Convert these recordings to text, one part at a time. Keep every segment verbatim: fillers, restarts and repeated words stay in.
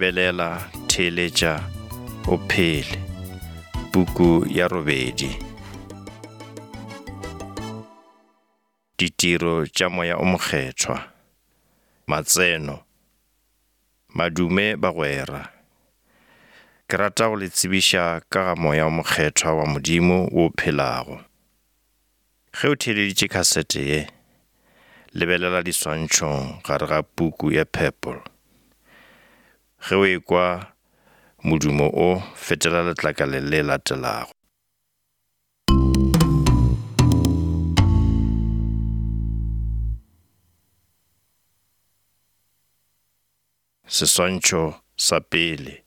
Lebelela, theeletša, o phele. Puku ya robedi. Ditiro tša Moya o Mokgethwa. Matseno. Madume bagwera. Ke rata go le tsebiša ka ga Moya o Mokgethwa wa Modimo wo phelago. Ge o theeleditše khasete ye, lebelela diswantšhong gare ga puku ya Purple. Ge o ekwa modumo o, fetela letlakaleng le latelago. Seswantšho sa pele.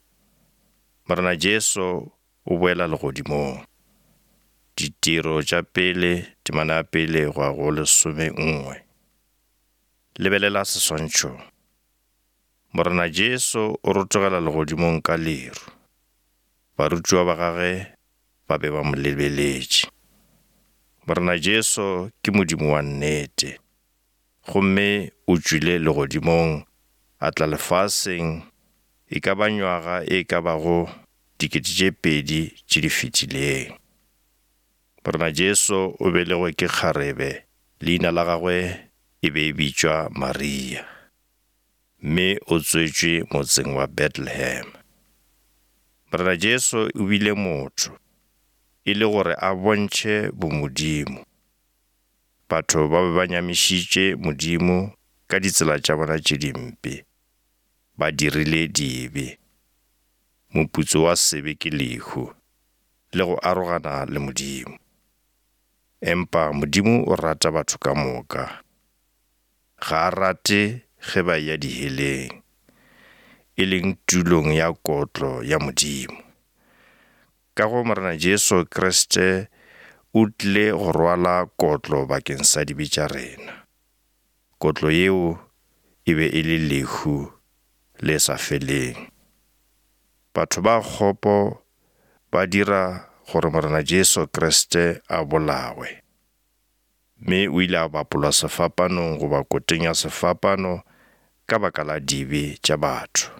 Morena Jesu o boela legodimong. Ditiro tša pele, temana ya pele go ya go lesome nngwe. Lebelela seswantšho. Morena Jesu o rotogela legodimong ka leru. Barutiwa ba gagwe ba be ba mo lebeletše. Morena Jesu ke Modimo wa nnete, gomme o tšwile legodimong a tla lefaseng e ka ba nywaga e ka bago dikete tše pedi tše di fetileng. Morena Jesu o belegwe ke kgarebe, leina la gagwe e be e bitšwa Maria, mme o tswetšwe motseng wa Bethlehem. Morena Jesu o bile motho e le gore a bontšhe bomodimo. Batho ba be ba nyamišitše Modimo ka ditsela tša bona tše dimpe, ba dirile dibe. Moputso wa sebe ke lehu, le go arogana le Modimo. Empa Modimo o rata batho ka moka. Ga a rate ge ba eya diheleng, e leng tulong ya kotlo ya Modimo. Ka go Morena Jesu Kriste o tlile go rwala kotlo bakeng sa dibe tša rena. Kotlo yeo e be e le lehu le sa feleng. Batho ba kgopo ba dira gore Morena Jesu Kriste a bolawe, mme o ile a bapolwa sefapanong goba koteng ya sefapano ka baka la dibe tša batho.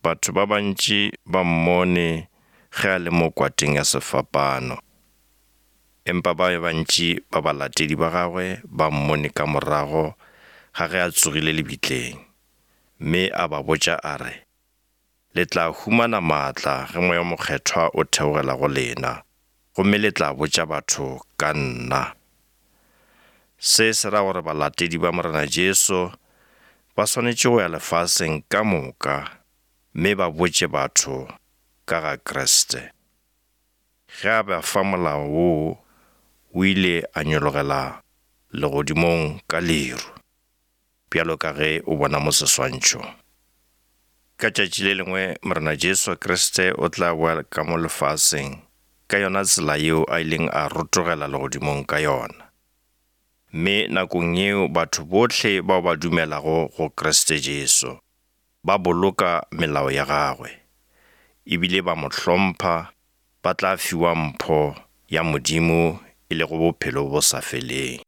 Batho ba bantši ba mmone ge a le mo kwateng ya sefapano, empa ba bantši ba balatedi ba gagwe ba mmone ka morago ga ge a tsogile lebitleng, mme a ba botša a re, le tla humana maatla ge Moya o Mokgethwa o theogela go lena, gomme le tla botša batho ka nna. Se se ra gore balatedi ba Morena Jesu ba swanetše go ya lefaseng ka moka mme ba botše batho ka ga Kriste. Ge a ba fa molao woo, o ile a nyologela legodimong ka leru, bjalo ka ge o bona mo seswantšhong. Ka tšatši le lengwe Morena Jesu Kriste o tla boa ka mo lefaseng ka yona tsela yeo a ileng a rotogela legodimong ka yona. Mme nakong yeo batho bohle bao ba dumelago go Kriste Jesu ba boloka melao ya gagwe, ebile ba mo hlompha, ba tla fiwa mpho ya Modimo e lego bophelo bo sa feleng.